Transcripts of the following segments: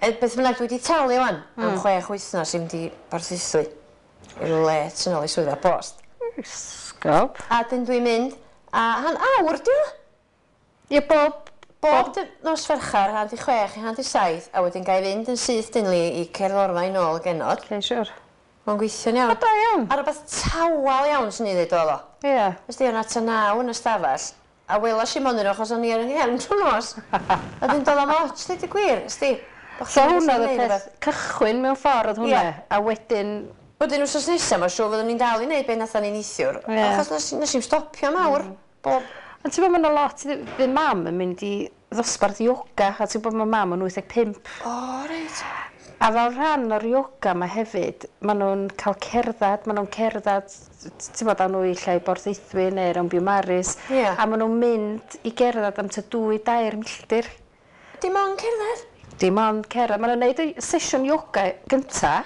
Beth bynnag, dwi 'di talu 'wan am 6 wythnos i fynd i Borthaethwy i rywle tu nôl i swyddfa bost. Sgob. A dyn dwi'n mynd, a han awr 'di o. Ie, bob Bob nos Fercher, 5:30 i 6:30, a wedyn ga i fynd yn syth dynlu i cerddorfa i nôl y genod. Okay, siwr. Mae'n gweithio'n iawn. O, da iawn. A rhywbeth tawel iawn swn i ddweud oedd o. Ys di, o'na tua 9 yn y stafell, a welas i mon nhw achos o'n i ar 'y nghefn trwy nos. A dyn doedd o'm ots, dweud y gwir, ys di. Bo' So chdi'n hwnna gallu oedd y neud peth rwbeth. cychwyn mewn ffordd oedd hwnna. A wedyn Wedyn wsos nesa, mae'n siŵr fyddwn ni'n dal i wneud be nathon ni neithiwr. Achos nes i'm stopio mawr. Bob Ond ti'n gwybod, mae yna lot, fydd mam yn mynd i ddosbarth yoga, a ti'n gwybod mae mam yn 85. O, reit. A fel rhan o'r yoga yma hefyd, maen nhw'n cael cerdded, maen nhw'n cerdded, ti'n bod, â nhw i lle i Borthaethwy neu rownd Biwmaris. A maen nhw'n mynd i gerdded am tua 2-3 milltir. Dim ond cerdded? Dim ond cerdded. Maen nhw'n neud y sesiwn yoga gynta,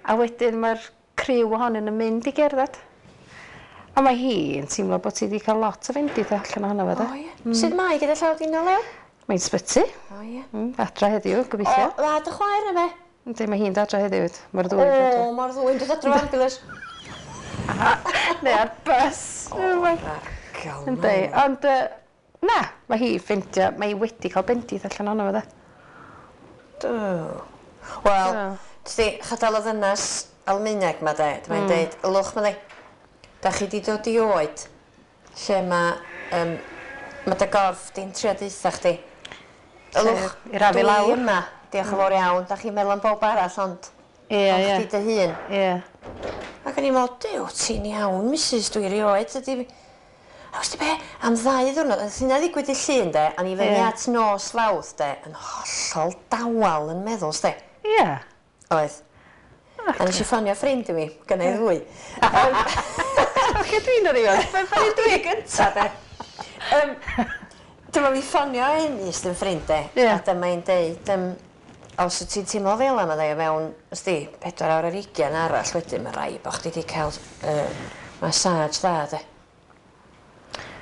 a wedyn mae'r criw ohonyn nhw'n mynd i gerdded. A mae hi yn teimlo bod hi wedi cael lot o fendith allan ohono fo, de. O, ie. Sut mae gyda llaw di nôl, Lew? Mae'n sbyty. O, ie. Adra heddiw, gobeithio. O, dda dy chwaer na fe? Yndi, mae hi'n adra heddiw. Mae'r ddwy yn dod. O, mae'r ddwy'n dod adra ambulance. Neu ar bus. O, Yndi, ond na, mae hi ffeindio, mae hi wedi cael bendith allan ohono fo, de. Do. Wel, ti, chadal o ddynas Almaeneg ma de, mae'n deud, "Ylwch," ma ddi, "da chi di dod i oed lle mae ma dy gorff di'n trio deutha chdi. Ylwch, I rafu dwi lawr." yma, diolch yn fawr iawn, da chi'n meddwl am bob arall, ond ond chdi dy hun." Ac o'n i'n meddwl, "Duw, ti'n iawn, Mrs, dwi erioed, ydi." A wsti be, am 2 ddiwrnod, oedd hynna ddigwydd i Llun, de, a ni fyny at nos Fawrth, de, yn hollol dawel yn meddwl, sdi. Oedd. A nes i ffonio ffrind i mi, gynna i ddwy. Lle dwi'n dod i fod? Be dwi gynta, de? Dyma fi ffonio Enys yn ffrind, de. A dyma hi'n deud, os wyt ti'n teimlo fel yma, de, mewn, ysdi, 24 arall wedyn, mae rhaid bod chdi wedi cael massage dda, de.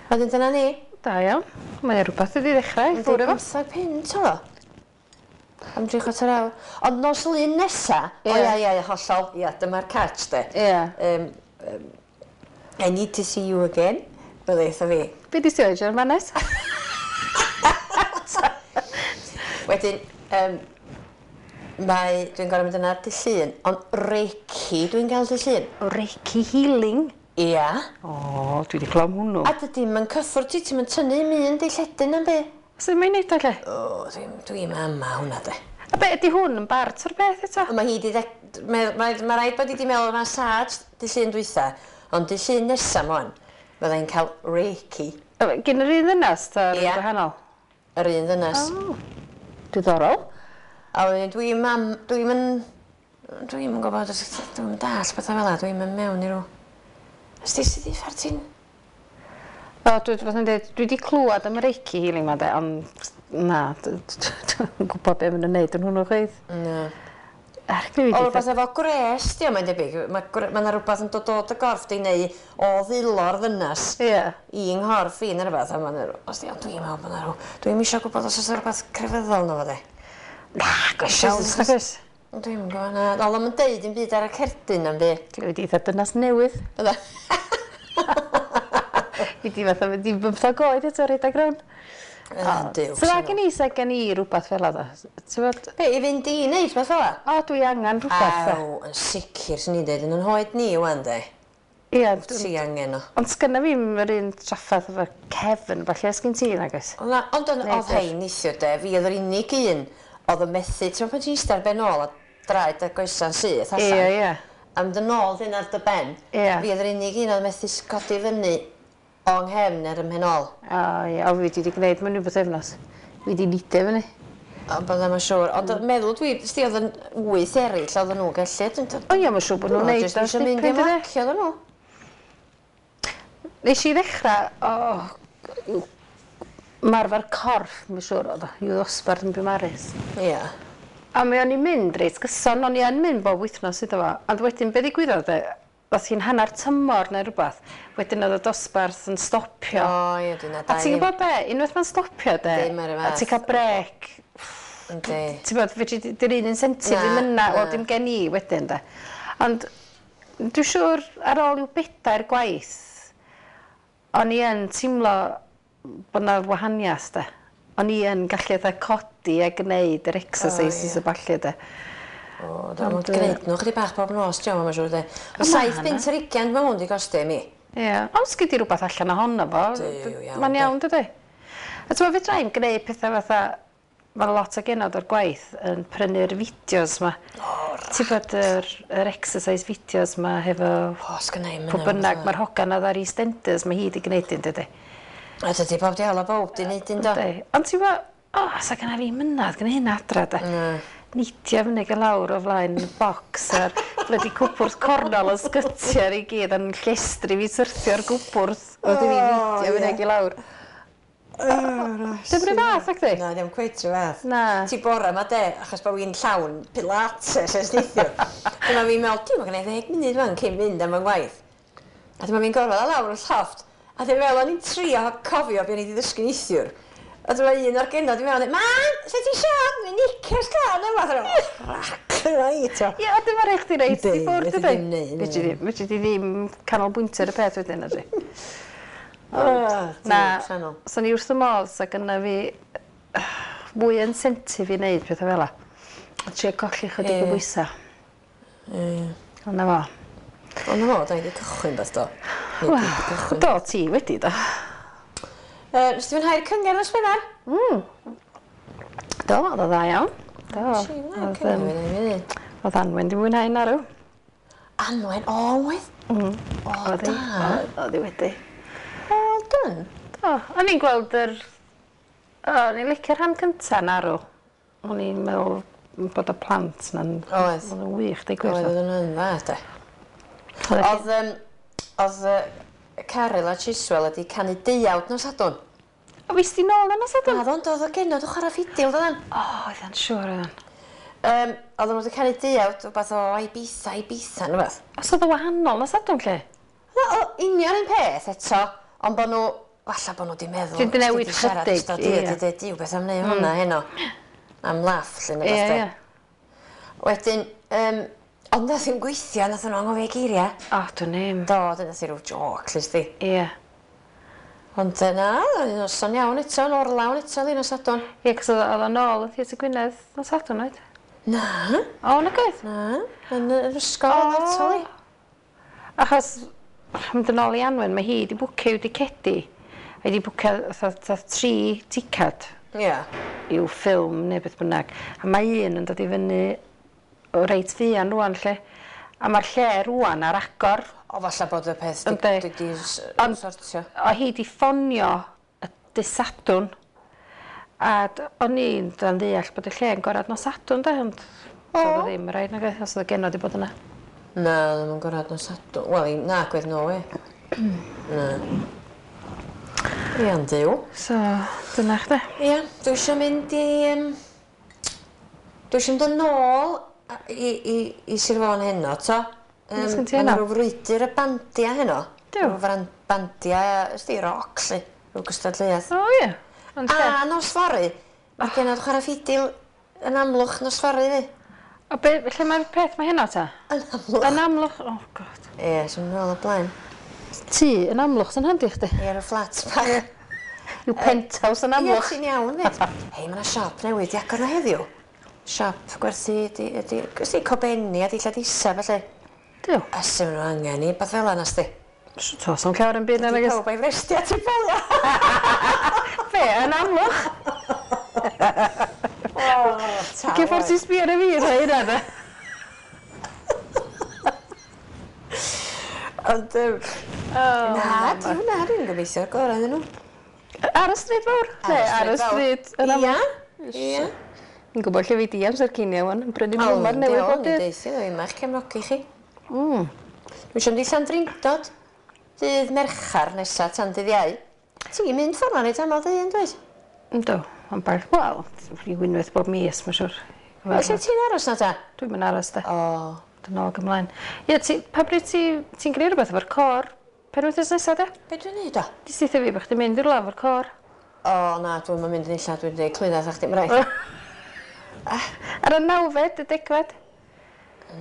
Wedyn dyna ni. Da iawn. Mae rhywbeth wedi ddechrau i ffwrdd efo. 15 punt o. Am 75. Ond nos Lun nesa, o ia, hollol, ia, dyma'r catch, de. "I need to see you again," bydde eitha fi. Be di ti oed, Manes? Wedyn, dwi'n gorfod mynd yna dydd Llun, ond Reiki dwi'n gael dydd Llun. Reiki healing? Ia. O, dwi wedi clywed am hwnnw. A dydy mae'n cyffwrdd ti, ti'n mynd tynnu un dilledyn am be. Sut mae'n neud o lle? O, dwi'n dwi ama hwnna, de. A be, ydy hwn yn bart o'r beth eto? Mae hi di mae rhaid bod hi di meddwl massage dydd Llun dwytha, ond dydd Llun nesa m'wan, fyddai'n cael Reiki. Gyn yr un ddynas, ta rhywun gwahanol? Yr un ddynas. O, diddorol. A wedyn dwi'n mam, dwi'n yn gwybod, dwi'n mynd dall bethau fel 'a, dwi'n mynd mewn i rw. Ys ti sydd i ffer ti'n O, dwi, fatha'n dweud, dwi wedi clywed am y Reiki healing ma de, ond na, dwi'n gwybod be maen nhw'n neud yn hwnnw chweith. Na. Er, dwi O, wedi rhywbeth efo gwres, di o, mae'n debyg. Mae ma 'na rhywbeth yn dod o dy gorff di neu o ddilo'r ddynas i nghorff i neu rhywbeth. A ma'n os di, ond dwi'n meddwl bod 'na rhyw. Dwi'n isio gwybod os oes 'na rhywbeth crefyddol na fo de. Na, gwesiwn, nag oes? Dwi'n gwybod na. Oedd o'm yn deud dim byd ar y cerdyn am byd. Dwi wedi eitha dynas newydd. Bydda. I di fatha mynd i 15 oed eto rhedeg rownd. Duw. So dda gen i sa gen i rhywbeth fel yna. Ti'n bod? Be, i fynd i wneud beth fel 'a? O, dwi angen rhywbeth, de. Aw, yn sicr, swn i'n deud, yn yn hoed ni wan, de. Ie. Ti angen o. Ond sgynna fi'm yr un trafferth efo cefn, falle sgyn ti nag oes? O na, ond oedd hein neithiwr, de, fi oedd yr unig un oedd yn methu, ti'n pan ti'n eistedd ar ben ôl a draed a goesa'n syth allan. Ie, ie. A mynd yn ôl dyn ar dy ben. Fi oedd yr unig un oedd yn methu codi fyny o nghefn ar ym mhen ôl. O ie, o fi wedi gwneud mewn rhyw bythefnos. Fi wedi nidio fyny. O, byddai mae'n siŵr. Ond meddwl dwi, sti oedd yn wyth eraill oedd nhw'n gallu. O ie, mae'n siŵr bod nhw'n neud Jyst eisiau mynd i dipyn, dydi? ymlacio oedden nhw. Nes i ddechrau, o, marfer corff, mae'n siŵr oedd o, i'w ddosbarth yn Biwmaris. A mi o'n i'n mynd reit gyson, o'n i yn mynd bob wythnos iddo fo. Ond wedyn, be ddigwyddodd de, oedd hi'n hanner tymor neu rhywbeth, wedyn oedd y dosbarth yn stopio. O, ie, dyna A ti'n gwybod be, unwaith mae'n stopio de, Dim ar y a fath. ti'n cael brec, Yndi. Ti'n bod, fedri di, di'r un incentive ddim yna, wel dim gen i wedyn de. Ond dwi'n siŵr ar ôl i'w bedair gwaith, o'n i yn teimlo bod 'na wahaniaeth de. O'n i yn gallu fatha codi a gneud yr exercises a ballu de. O, da, mae'n gwneud nhw chydig bach bob nos, ti'n mae'n siŵr de. Ond 7 bunt ar 20 mae hwn di gostio i mi. Ie, ond sgyd i rhywbeth allan ohono fo. Duw, iawn, Mae'n de. iawn, dydy? A ti'n meddwl, fedra i'm gwneud pethau fatha, mae lot o genod o'r gwaith yn prynu'r fideos ma. O, Ti'n bod yr exercise videos ma hefo O, sgynna i'm pwy bynnag, mae'r hogan oedd ar EastEnders, mae hi wedi gwneud un, dydy. A dydy bob diawl o bob di wneud un do. Yndi. Ond ti'n gwybod, o, sa gynna fi mynadd gyda hynna adra, de. Neidio fyny gael lawr o flaen y bocs a'r blydi cwpwrdd cornol o sgytiau i gyd a'n llestri fi syrthio'r gwpwrdd. Oedd i fi neidio fyny i lawr. Dim rhyw fath, ac di? Na, ddim cweit rhyw fath. Na. Ti bora ma de, achos bod fi'n llawn pilates ers neithiwr. Dyma fi'n meddwl, dwi'n mynd 10 munud fan cyn mynd am fy ngwaith. A dyma fi'n gorfod a lawr y llofft. A dwi'n meddwl, o'n i'n trio cofio be o'n i wedi ddysgu neithiwr. A dyma un o'r genod i mewn, "Mam, se ti siarad? Mae'n knickers glân yma." Rac, reit o. Ie, a dyma rhaid chdi reit i Yndi, ffwrdd, fedri dydi? ddim neud, Fedri ddim, fedri di ddim canolbwyntio ar y peth wedyn, ydy. Na. Na, so ni wrth y modd, sa gynna fi mwy incentive i wneud pethau fel 'a. A trio colli chydig o bwysau. Ond na fo. Ond na fo, da i wedi cychwyn beth do. Neu dwi 'di cychwyn. Do, ti wedi do. Nes ti fwynhau'r cyngerdd nos Wener? Do, oedd o dda iawn. Do. Nes i fwynhau'r Oedd, cyngerdd, yym, fi ddim. Oedd Anwen di mwynhau narw. Anwen, o, oedd? O, Oedd hi. da. Oedd hi wedi. Well done. Do, o'n i'n gweld yr... O, o'n i'n licio'r rhan cynta narw. O'n i'n meddwl bod y plant na'n... Oedd. Oedd yn wych, deud gwir. Oedd yn dda, de. Oedd Oedd, oedd Caryl a Chiswell wedi canu deuawd nos Sadwrn. O, fes di nôl yna Sadwrn? Na, ddo'n dod o genod o chwarae ffidil, doeddan. O, oedd yn siŵr oedd yn. Oedden nhw wedi canu deuawd, rhywbeth o Ibiza, Ibiza, neu beth. Os oedd o wahanol nos Sadwrn, lle? Na, o, union un peth eto, ond bod nhw, falle bod nhw wedi meddwl. Dwi 'di newid "Os di siarad chydig, ystod dydd, ie. Di deud, "Duw, beth am wneud hwnna heno?" Am laff, lle, neu beth. Ie, ie. Wedyn, ond nath i'm gweithio, nath nhw anghofio geiriau. O, dwi'n ddim. Do, dyna nath i rhyw joc, lle sti. Ie. Ond na, oedd hi'n noson iawn eto, yn orlawn eto, ddyn nos Sadwrn. Ie, cos oedd o nôl yn Theatr Gwynedd nos Sadwrn, oedd? Na, O, na oedd? na, yn yr ysgol oedd eto li. Achos, mynd yn ôl i Anwen, mae hi wedi bwcio i'w dicedi. A hi wedi bwcio fatha tri ticad i'w ffilm neu beth bynnag. A mae un yn dod i fyny o reit fuan rŵan, lle. A mae'r lle rŵan ar agor. O, falle bod y peth di, Yndi. di, di Ond- sortio. O hi di ffonio y dydd Sadwrn. A o'n i'n dan ddeall bod y lle yn gorad nos Sadwrn, de, ond oedd o ddim rhaid nag oedd, os oedd y genod i bod yna. Na, ddim yn gorad nos Sadwrn. Wel, na, gwedd no we. Na. Ia'n Duw. So, dyna chdi. Ia, dwi eisiau mynd i... Dwi eisiau mynd yn ôl i Sir Fôn heno, to. Be sgen ti Ma' 'na heno? rhyw frwydr y bandia heno. Duw. Rhyw bandia, ysdi, roc, lle. Rhyw gystadleuaeth. O ie. Ond lle? A nos fory, mae genod chwarae ffidil yn Amlwch nos fory, fi. O be, lle mae'r peth mae heno ta? Yn Amlwch. Yn Amlwch, oh god. Ie, sy'n mynd nôl o blaen. Tŷ yn Amlwch sy'n handi chdi. Ie, ar y fflat bach. Yw penthouse yn Ie, Amlwch. ti'n iawn, fyd. Hei, mae yna siop newydd di agor na heddiw. Siop gwerthu, di, di, di cobenni a dillad isa, felly. Duw. A sy'n nhw angen i, beth fel yna, sti. To, so'n llawer yn byd na Di nag oes? pawb a'i frestia ti'n bolio. Be, yn Amlwch? O, ta. Lle ffordd ti'n sbio ar y fi, rhoi hynna, de? Ond, na, di hwnna, dwi'n gobeithio'r gorau iddyn nhw. Ar y stryd fawr? Ne, ar y stryd yn Amlwch. Ia. Fi'n gwybod lle fi di amser cinio wan, yn brynu blwmar newydd bob dydd. Deithio, dwi'n ma'ch cefnogi chi. Dwi eisiau mynd i Llandrindod dydd Merchar nesa tan dydd Iau. Ti'n mynd ffordd na reit aml dy hun, dweud? Yndw, ond bar, wel, rhyw unwaith bob mis, mae'n siŵr. Lle ti'n aros na ta? Dwi'n mynd aros, de. O, Dwi'n ôl ymlaen. Ie, ti, pa bryd ti'n gwneud rhywbeth efo'r cor? Penwythnos nesa, de? be dwi'n neud o? Di steithio fi bod chdi'n mynd i'r laf o'r cor. O, na, dwi'n mynd yn illa, dwi'n dweud clwydda, chdi, mae'n rhaid. Ar y 9fed, y 10fed?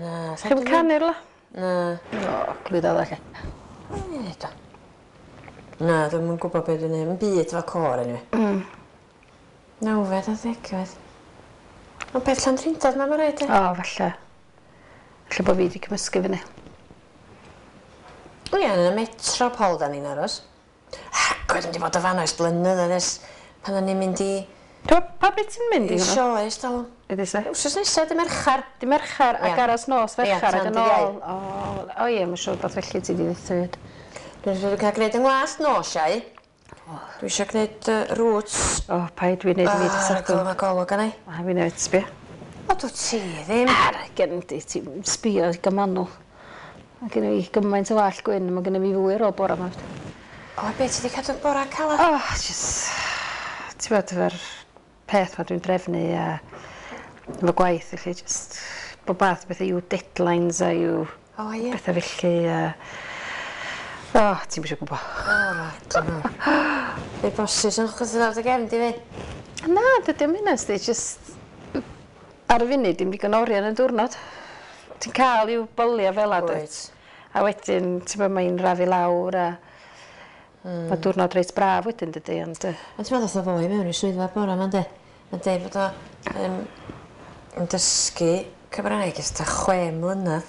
Na. Chi'm canu rwla? Na. O, glwyddo dda lle. Do. Na, dwi'm yn gwybod be' dwi'n neud. 'Im byd efo côr eniwe. 9fed a 10fed. Ond peth Llandrindod 'ma ma' raid ia? O, falle. Falle bo' fi 'di cymysgu fyny. O ie, yn y Metropol 'dan ni'n aros. Agor dwi'm 'di bod o fan 'na ers blynyddoedd ers pan o'n i'n mynd i... Do, pa bryd ti'n mynd i hwnna? I sioe ers talwm. Ydy se? Wsos nesa, dy Merchar. Dy Merchar ac aros nos Ferchar ac yn ôl. O, o ie, mae'n siŵr bod felly ti 'di ddweud hefyd. Dwi'n siŵr cael gwneud yng ngwallt nos Iau. Dwi eisiau gwneud roots. O, paid dwi'n neud i fi dy Sadwrn. Mae golwg arna i. A fi newydd sbio. O, dwi ti ddim. Ar, gen di, ti'n sbio digon manwl. Mae gen i gymaint o wallt gwyn, mae gen i fi fwy ar ôl bora 'ma. O, be, ti 'di cadw bora calad? O, just... Ti'n bod efo'r peth ma dwi'n drefnu a efo gwaith felly just bob math o bethau i'w deadlines a i'w O ie. bethau felly a o ti'm isio gwbo. O raglen mawr. Be bosib yn chwythu lawr dy gefn di fi? Na, dydy o'm hynna sti, just ar y funud dim digon o oriau yn y diwrnod. Ti'n cael i'w bolia fel 'a dwyt? A wedyn ti'n gwbod mae'n rafu lawr a mae diwrnod reit braf wedyn dydy ond yy Ond ti'n meddwl ddoth o foi mewn i'r swyddfa bora 'ma ynde? Yn deud bod o yn dysgu Cymraeg ers tua 6 mlynedd.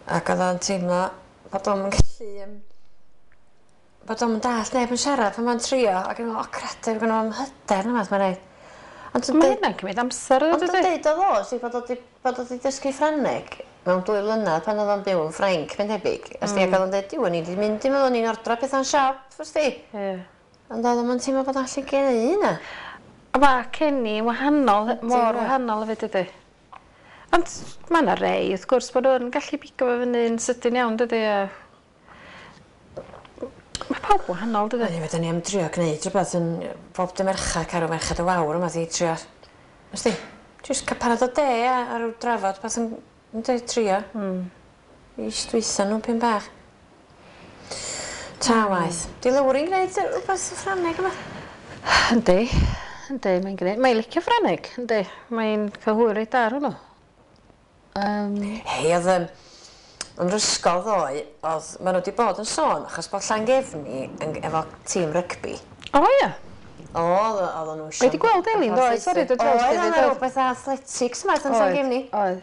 Ac oedd o'n teimlo bod o'm yn gallu yym bod o'm yn dallt neb yn siarad pan ma'n trio ac yn meddwl o credu gynno fo'm hyder na fath ma'n neud. Ond mae hynna'n cymryd amser Ond yn deud o ddo, si bod o 'di bod o 'di dysgu Ffrangeg mewn 2 mlynedd pan oedd o'n byw yn Ffrainc mae'n debyg. Os di ac oedd o'n deud diw o'n i 'di mynd i meddwl o'n i'n ordro petha'n siop, wst ti? Ie. Ond oedd o'm yn teimlo bod o'n allu gneud hynna. A ma' Kenny yn wahanol, mor wahanol hefyd dydi? Ond ma' 'na rei wrth gwrs bod nhw'n gallu pigo fo fyny'n sydyn iawn dydi a ma' pawb wahanol dydi? Eniwe 'dan ni am drio gneud rhywbeth yn bob dy Merchar Carw Merched y Wawr yma 'di trio wst ti? Jyst ca'l panad o de a a ryw drafod beth yn yn deud trio. I stwytho nhw pyn bach. Ta waeth. 'Di Lowri'n gneud rwbeth yn Ffrangeg yma? Yndi, yndi mae'n gneud. Mae'n licio Ffrangeg, yndi. Mae'n cael hwyl reit da ar hwnnw. Hei, oedd yn yr ysgol ddoe, oedd, maen nhw wedi bod yn sôn, achos bod Llangefni yn, efo tîm rygbi. O ia? O, oedd nhw eisiau... Wedi gweld Elin ddoe, sori, dod draws Oedd, oedd rhywbeth athletics yma yn Llangefni. Oedd.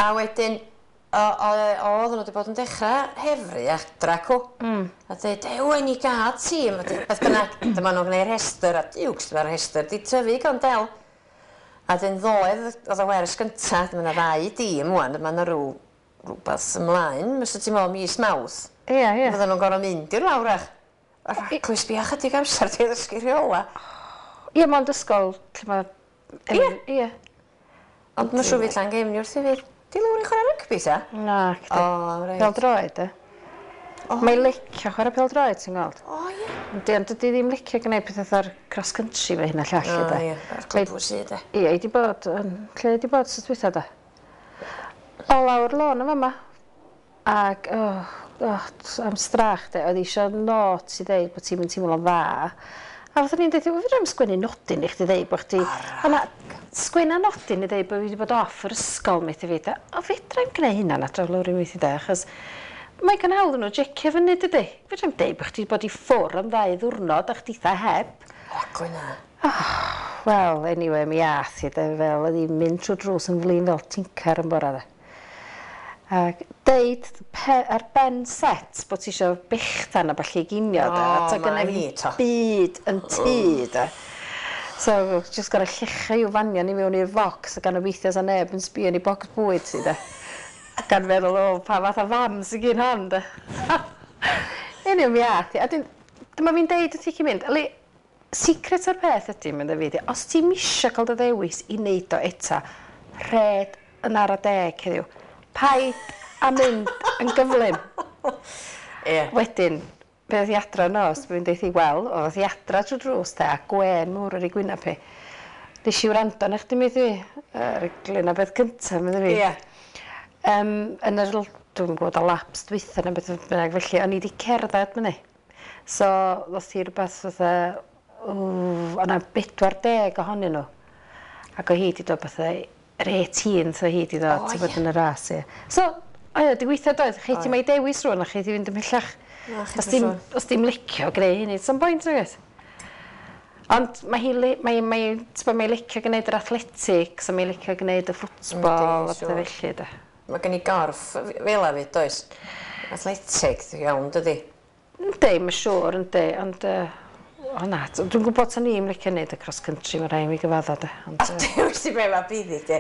A wedyn, oedd nhw wedi bod yn dechrau hefru adra cw. A dweud, ew, i ni gael tîm. A beth bynnag, dyma nhw'n gwneud rhestr, a diwcs, dyma'r rhestr, di tyfu gan del. A dyn ddoe, oedd y wers gynta, dyma yna ddau dîm ŵan, dyma yna rhywbeth ymlaen, fysa ti'n meddwl mis Mawrth. Ie, ie. Fydden nhw'n gorfod mynd i'r lawr ach. Rhaglen sbio chydig amser di ddysgu rheola. Ie, mond ysgol lle ma'... Ie. Ie. Ond mae'n siŵr fydd Llangefni wrth i fi. Di Lowri'n chwarae rygbi ta? Na, chdi. O, reit. Pêl-droed, e. Mae'n licio chwarae pêl-droed, ti'n gweld. O, ie. Yndi, ond dydi ddim licio gwneud pethau fatha'r cross country fe hyn a llall, O, de. ie, a'r clwb sy, de. Ie, i di bod, yn, lle i di bod sut dwytha, de? O, lawr lôn yn fama. Ac, oh, am strach, de, oedd eisiau not i ddeud bod ti'n mynd teimlo'n dda. A fatha ni'n deud, fedra i'm sgwennu nodyn i chdi ddeud bod chdi... O na, sgwenna nodyn i ddeud bod fi wedi bod off yr ysgol, methu fi, de. O, fedra i'm gwneud hynna na draw lawr i weithio, de, achos mae gan hawdd nhw jecio fyny, dydy. Fedra i'm deud bod chdi wedi bod i ffwr am 2 ddiwrnod a chditha heb. Raglen na. Wel, anyway, mi ath i, de, fel oedd hi'n mynd trwy drws yn flin fel tincar yn bora, de. Ac deud ar ben set bod ti isio bechdan a ballu i ginio, de. O, A ta gynna ma' fi hi, to. byd yn tŷ, de. So, just gorau llechau i'w fanion i mewn i'r focs a gan obeithio sa neb yn sbio yn ei bocs bwyd ti, de. Gan feddwl, o, pa fath o fam sy'n gyn hon, de. Anyway, mi ath i. A dyma fi'n deud wrth i chi mynd, Ali, secret o'r peth ydy, mynd fi, di, os ti'n isio cael dy ddewis i wneud o eto, rhed yn ara deg heddiw. Paid a mynd yn gyflym. Ie. Wedyn, be oedd hi adra nos, fi'n deud hi, wel, oedd hi adra trwy drws te, a gwen mawr ar ei gwyneb hi. Nes i wrando arna chdi, meddwi, yr glyn a beth cyntaf, meddwi fi. Ie. Yn yr, dwi'm yn gwybod, y laps dwytha neu beth bynnag felly, o'n i wedi cerdded myny. So, ddoth hi rhywbeth fatha, O'na 40 ohonyn nhw. Ac o hi 'di dod fatha yr 18th o hi 'di ddod, ti'n bod yn y ras, ie. So, o ie, 'di weithio doedd, chi ti mae dewis rŵan a chi 'di fynd ymhellach. Os dim, os dim licio greu hynny, sa'm boint nag oes? Ond mae hi, mae, mae, ti'n mae licio gwneud yr athletics a mae licio gwneud y ffwtbol a pethau felly, de. Mae gen i gorff fel a fyd, does? Athletic, iawn, dydy? Yndi, mae'n siŵr, yndi, ond... O na, dwi'n gwybod ta ni'n licio neud y cross country, mae rhaid i mi gyfadda, de. Ond, a dewis i be mae byddi, de.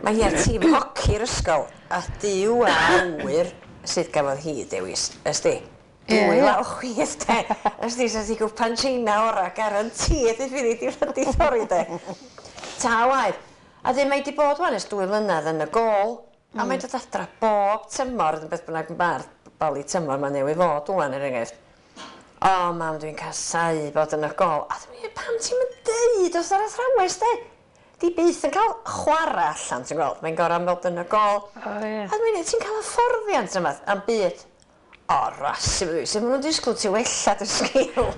Mae hi ar tîm hoci'r ysgol, a Duw a ŵyr sydd gafodd hi dewis, ysdi? Dwy law chwith, de. Ysdi, sa ti gwpan China ora, guaranteed i fydd i di thorri, de. Ta waeth. A dyn mae di bod wan ers 2 mlynedd yn y gôl, a mae'n dod adra bob tymor, yn beth bynnag ma'r bali tymor mae'n newydd fod wan er enghraifft. O mam, dwi'n casau bod yn y gôl. A dwi'n mynd, pam ti'n mynd deud wrth yr athrawes, de? Di byth yn cael chwarae allan, ti'n gweld? Mae'n gorau bod yn y gôl. O, ie. A dwi'n mynd, ti'n cael hyfforddiant yma am byd. O, rasi, sut maen nhw'n disgwyl ti wella dy sgil?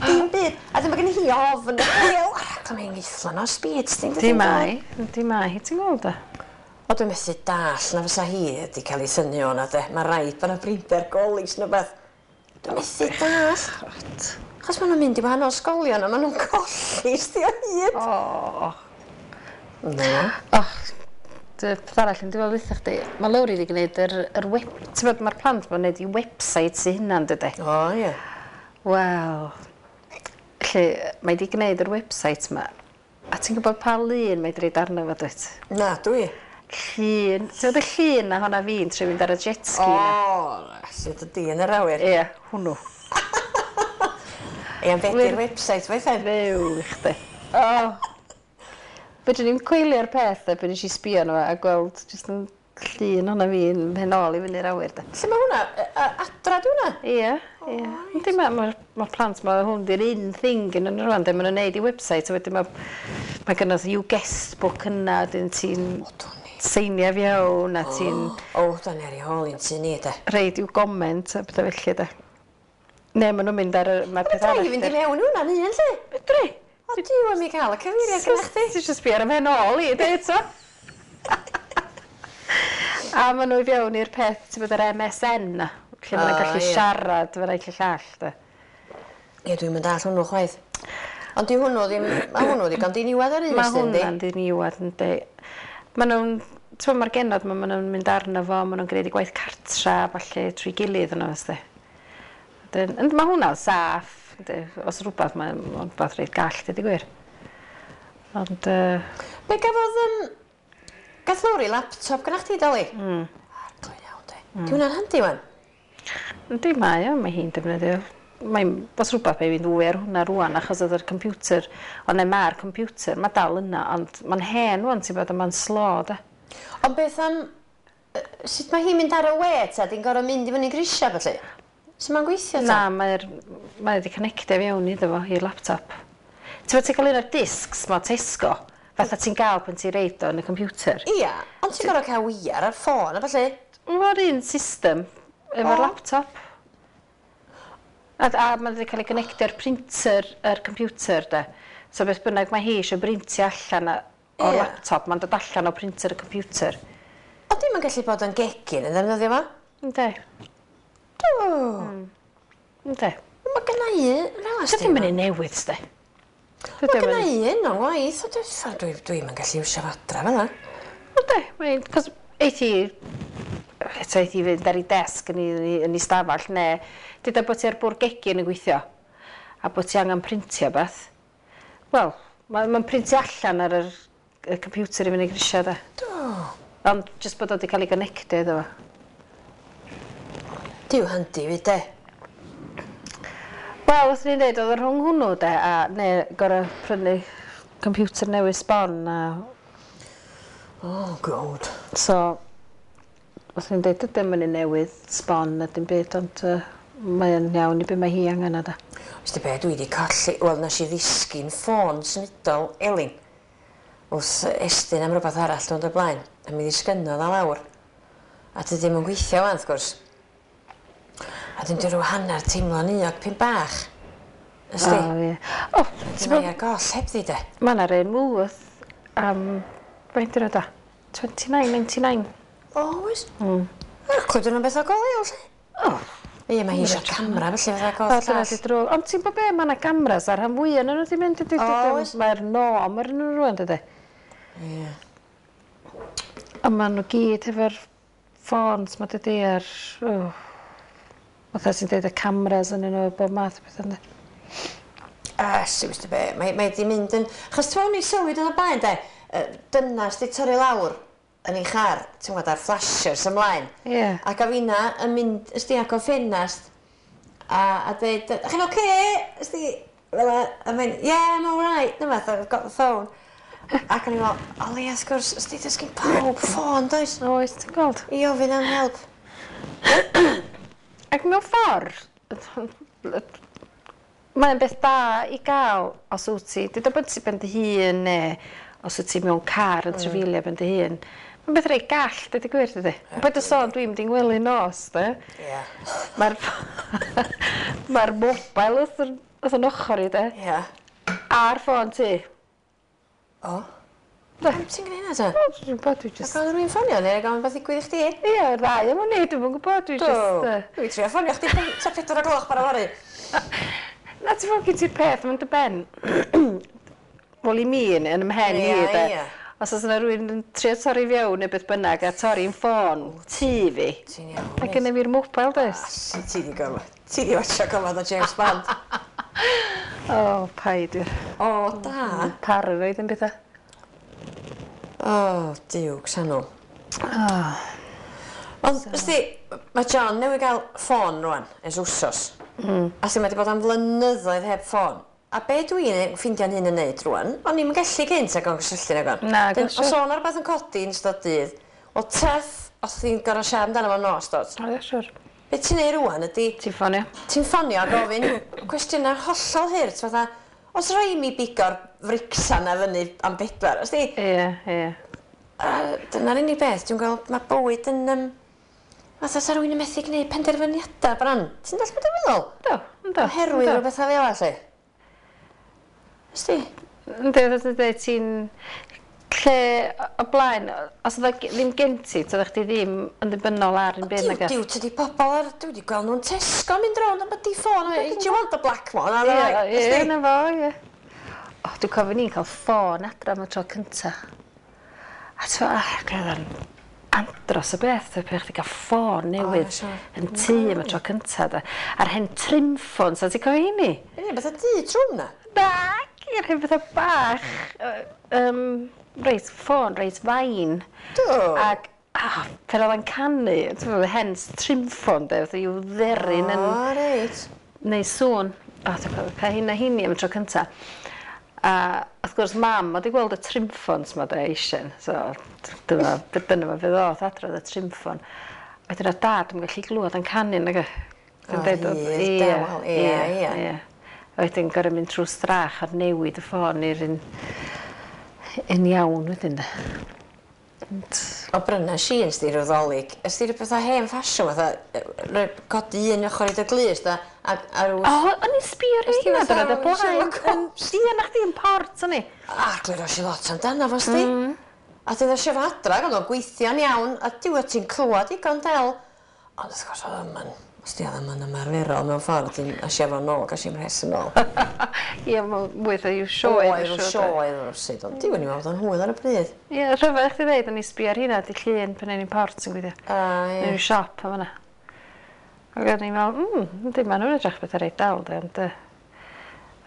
Dim byd. A dyma gen hi ofn y bêl. Aragl, mae'n geithlon o speed, ti'n Di mai, di mai, ti'n gweld e? O, dwi'n methu dall na fysa hi wedi cael ei thynnu o'na, de. Mae rhaid bod yna brinder golis neu beth. Dwi'n methu dall. Achos maen nhw'n mynd i wahanol ysgolion a maen nhw'n colli sti o hyd. O. Na. O, peth arall yn diwedd weithio chdi, mae Lowri wedi gwneud yr web... Ti'n bod, mae'r plant ma'n gwneud i websites eu hunan, dydy? O, ie. Wel, lle, mae wedi gwneud yr website ma, a ti'n gwybod pa lun mae wedi roid arno fo, dwyt? Na, dwi. Llun, ti'n gwybod y llun na honna fi'n trio mynd ar y jet ski na? O, sydd y di yn yr awyr. Ie, hwnnw. Ie, am beth website weithiau? Fyw i chdi. O. Fedrwn ni'm coelio'r peth, e, pan nes i sbio arno fo a gweld jyst yn llun honna fi'n mynd nôl i fyny'r awyr, de. Lle mae hwnna? Adra di hwnna? Ie, ie. Yndi, mae'r plant, mae hwn di'r un thing yn nhw rwan, de, maen nhw'n neud i website, a wedyn mae gynnodd i'w guest book yna, wedyn ti'n seinio fewn, a ti'n... O, da ni ar ei hôl i'n tŷ ni, de. Reid i'w comment a pethau felly, de. Ne, maen nhw'n mynd ar y... Mae'r peth arall... Fedra i fynd i mewn i hwnna'n un, lle? Fedri. O, Duw, am i gael y cyfeiriad gyda chdi. Ti eisiau sbio ar y mhen ôl i, de, eto. A maen nhw i fewn i'r peth, ti'n bod yr MSN na, lle maen nhw'n gallu siarad efo'r naill y llall, de. Ie, dwi'n mynd all hwnnw chwaith. Ond di hwnnw ddim, mae hwnnw ddigon diniwad ar un ystyn, di? Mae hwnna'n diniwad, yndi. Maen nhw'n, ti'n bod, mae'r genod, maen nhw'n mynd arno fo, maen nhw'n gwneud i gwaith cartra, falle, trwy gilydd yno, ysdi. Ond mae hwnna'n saff, os rhywbeth, mae'n rhywbeth reit gall, dweud i gwir. Ond... Be gafodd, gath Lowri laptop gyda chdi, Dali? Arglwydd iawn, de. Di hwnna'n handi, wan? Yndi, mae o, mae hi'n defnyddio. Mae'n, os rhywbeth, mae'n fynd fwy ar hwnna rwan, achos oedd yr computer, ond ne, mae'r computer, mae dal yna, ond mae'n hen rwan, ti'n bod, a mae'n slo, de. Ond beth am, sut mae hi'n mynd ar y we, ta? Di'n gorfod mynd i fyny grisiau, felly? Sut mae'n gweithio, ta? Na, mae wedi connectio fewn iddo fo, i'r laptop. Ti'n bod, ti'n cael un o'r discs ma Tesco, fatha ti'n gael pan ti'n reid o yn y computer. Ia, ond ti'n gorfod cael weiar ar ffôn, a felly? Mae'r un system efo'r laptop. A mae wedi cael ei connectio'r printer, yr computer, de. So beth bynnag mae hi eisiau brintio allan o'r laptop, mae'n dod allan o printer y computer. Ond dim yn gallu bod yn gegin yn ddefnyddio fo? Yndi. Do. Yndi. Mae gynna i un fel Dy ddim yn un newydd, sdi. Mae gynna i un o'n waith, ond dwi'm yn gallu iwsio fo adra fel 'na. Yndi, mae'n... Cos eith hi... Eto eith hi fynd ar ei desg yn ei stafell, neu dyda bod ti ar bwrdd gegin yn gweithio, a bod ti angen printio beth. Wel, mae'n printio allan ar y computer i fyny grisiau, de. Do. Ond jyst bod o wedi cael ei gonnectio iddo fo. Duw handi fyd, de. Wel, os ni'n dweud, oedd y rhwng hwnnw, de, a neu gorau prynu computer newydd sbon, a... Oh, God. So, os ni'n dweud, ydym yn un newydd sbon na dim byd, ond mae'n iawn i be mae hi angen o, de. Wst ti be, dwi wedi colli... Wel, nes i ddisgyn ffôn symudol Elin wrth estyn am rhywbeth arall dwi'n dod blaen, a mi ddisgynnodd o lawr. A dwi ddim yn gweithio wan, wrth gwrs. A dyn dwi rhyw hanner teimlo'n euog pyn bach. Ysdi? O, ie. O, ti'n bod... Mae ar goll hebddi, de. Mae yna rei Woolworth am... Faint dyn nhw da? 29.99. O, oes? Yr clywed yn beth o go leol, lle. O. Ie, mae hi eisiau camera, felly fatha goll llall. Dyna di drwg. Ond ti'n bod be, mae yna cameras ar rhan fwyaf yn nhw wedi mynd. Oes. Mae'r norm ar nhw rwan, dydy. Ie. A maen nhw gyd efo'r ffôns, ma dydy ar... Oh, fatha ti'n dweud y cameras yn nhw, bob math o beth ynddi. A, si, wrth be, mae di mynd yn... Chos ti'n meddwl ni sylwi dyn o blaen, de, dynas di torri lawr yn ei char, ti'n gwybod, ar flashers ymlaen. Ie. Yeah. Ac a finna yn mynd, ysdi, ac o ffenast, a dweud, chi'n oce? Ysdi, fel a mynd, yeah, I'm all right, dyma, I've got the phone. Ac o'n i'n meddwl, o leia, wrth gwrs, ysdi, does gen pawb ffôn, does? Oes, ti'n gweld? I ofyn am help. Ac mewn ffordd, mae'n beth da i gael os wyt ti, deuda bod ti ben dy hun neu os wyt ti mewn car yn trafeilio ben dy hun. Mae'n beth reit gall, dweud y gwir, dydy. Paid â sôn, dwi'n mynd i'n ngwely nos, de. Ie. Mae'r mae'r mobile wrth yn, wrth yn ochr i, de. Ie. A'r ffôn ti. O. Pam ti'n gwneud hynna, ta? O, dwi'n gwybod, dwi just... Ac oedd rhywun ffonio neu gael beth ddigwydd i chdi? Ie, yr ddau am wn i, dwi'm yn gwybod, dwi just... Dwi'n trio ffonio chdi tua 4 o gloch bore fory. Na, ti'n fawr gen ti'r peth, mae'n dy ben. Wel, i mi, yn ym mhen i, de. Os oes yna rhywun yn trio torri fewn neu beth bynnag a torri'n ffôn tŷ fi. Ti'n iawn. A gynna fi'r mobile, does? Ti di gorfod. Ti di watcha gorfod o James Bond. O, paid wir. O, da. Paranoid yn bethau. O, diw, Xanw. Ond, ysdi, mae John newydd gael ffôn rwan, ers wsos. A sy'n mae wedi bod am flynyddoedd heb ffôn. A be dwi'n ffeindio'n hun yn neud rwan, o'n i'm yn gallu cynt ag o'n cysylltu nag o'n. Na, Dyn, os o'n rhywbeth yn codi yn ystod dydd, wel tough, os ti'n gorfod siarad amdano fo nos, dod. O, ie, siwr. Be ti'n neud rwan ydi... Ti'n ffonio. Ti'n ffonio a gofyn cwestiynau hollol hurt, fatha, os rhoi mi bigo'r fricsan na fyny am 4, os di? Ie, ie. Dyna'r unig beth, dwi'n gweld, mae bywyd yn... Fatha sa rhywun yn methu gwneud penderfyniadau bron. Ti'n dallt beth dwi'n meddwl? Do, ynddo. Oherwydd rhywbeth fel 'na, lle. Ysdi? Ynddi, fatha ti'n dweud, ti'n... Lle o blaen, os oedd ddim gen ti, oeddech chdi ddim yn ddibynnol ar un byd nag Diw, tydi pobl ar... Dwi wedi gweld nhw'n Tesco mynd rownd am bod i ffôn. Do you want the black one? Ie, ie, na fo, ie. O, dwi'n cofio ni'n cael ffôn adra am y tro cynta. A ti'n gweld yn andros o beth, pe chdi gael ffôn newydd yn tŷ am y tro cynta. A'r hen trim ffôn, so ti'n cofio hynny? Ie, beth o dŷ trwm na? Na, yr hen bethau bach. Reit, ffôn, reit fain. Do. Ac, pan oedd o'n canu, ti'n gwybod, hen trim ffôn, de, fatha i'w dderyn yn... O, reit. Neu sŵn. O, dwi'n cofio cael hynna hynny am y tro cynta. A, wrth gwrs, mam oedd i gweld y trim ffôns ma, de, eisiau. So, dyma fe ddoth adra y trim ffôn. Wedyn oedd dad yn gallu glwad yn canu, nag e? O, hir, dawel, ie, ie. A wedyn gorfod mynd trwy strach a newid y ffôn i'r un iawn wedyn, de. O, bryna si yn sti rhyw ddolig. Ysdi rhyw bethau hen ffasiwn, fatha, codi un ochr i dy glust, a rhyw... O, o'n i'n sbio ar hynna, dyna, dy blaen. Ie, na chdi yn port, o'n i. A, glwyro si lot amdano fo, sti. A dyn nhw fo adra, oedd o'n gweithio'n iawn, a diw ti'n clywed digon del. Ond wrth gwrs, oedd yma'n... Os di oedd yma'n ymarferol mewn ffordd, ti'n asio fo nôl, gas i'n mhres yn ôl. Ie, mae'n mwy o i'w sioe. Oedd, i'w sioe, rywsut, ond diw yn i'n meddwl bod o'n hwyl ar y pryd. Ie, rhyfedd chdi ddeud, o'n i sbio ar hynna, di llun pan o'n i'n port yn gweithio. A, ie. Mewn siop am yna. Ac o'n i'n meddwl, yndi, maen nhw'n edrych beth ar ei dal, de, ond...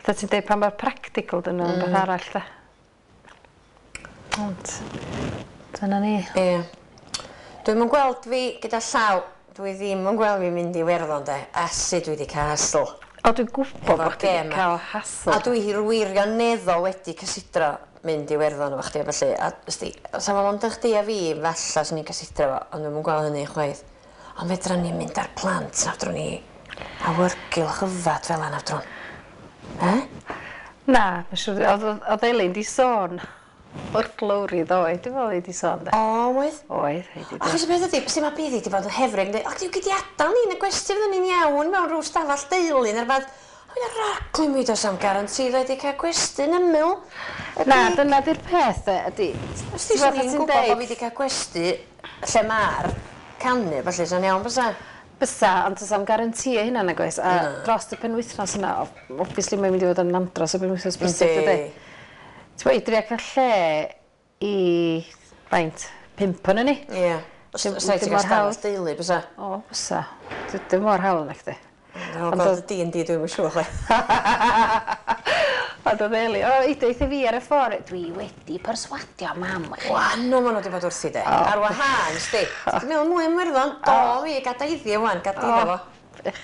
Fatha ti'n deud, pan mae'r practical dyn nhw'n beth arall, de. Ond, dyna ni. Ie. Dwi'm yn gweld fi gyda llaw. Dwi ddim yn gweld fi mynd i Iwerddon, de. Asu, dwi wedi cael hassle. O, dwi'n gwybod bod chdi wedi cael hassle. A dwi wirioneddol wedi cysidro mynd i Iwerddon efo chdi a ballu. A ysdi, os am ond chdi a fi, falla swn i'n cysidro fo, ond dwi'm yn gweld hynny chwaith. Ond fedra ni mynd ar plant, na fedrwn ni awyrgylch yfad fel yna fedrwn. E? Na, mae'n siŵr, oedd Elin di sôn wrth Lowri ddoe, dwi'n meddwl i di sôn, de. O, oedd? Oedd, i di. Achos y peth ydi, sy'n mae byddi di bod yn hefrig, yn dweud, o, diw gyd i adael ni yn y gwesti fyddwn ni'n iawn mewn rhyw stafell deulu neu rhywbeth. Oedd y raglen mi does am garanti dda wedi cael gwestiwn ymyl. Na, dyna di'r peth e, ydy. Os ti swn i'n gwybod bod fi wedi cael gwesti lle mae'r canu, felly sa'n iawn bysa? Bysa, ond does am garanti e hynna nag oes. A dros y penwythnos yna, obviously mae'n mynd i fod yn andros o penwythnos brysur, dydy. Ti'n bod, i drio cael lle i, faint, 5 o'n ni. Ie. Os rhaid ti gael stafell deulu, bysa? O, bysa. Dim mor hawdd na chdi. Ond oedd D&D dwi'n siŵr chwe. Ond oedd Eli, o, i deitha fi ar y ffordd, dwi wedi perswadio mam. Wan, o, maen nhw wedi bod wrthi de. Ar wahân, sti. Ti'n meddwl mwy am Werddon? Do, fi, gada iddi wan, gada iddo fo.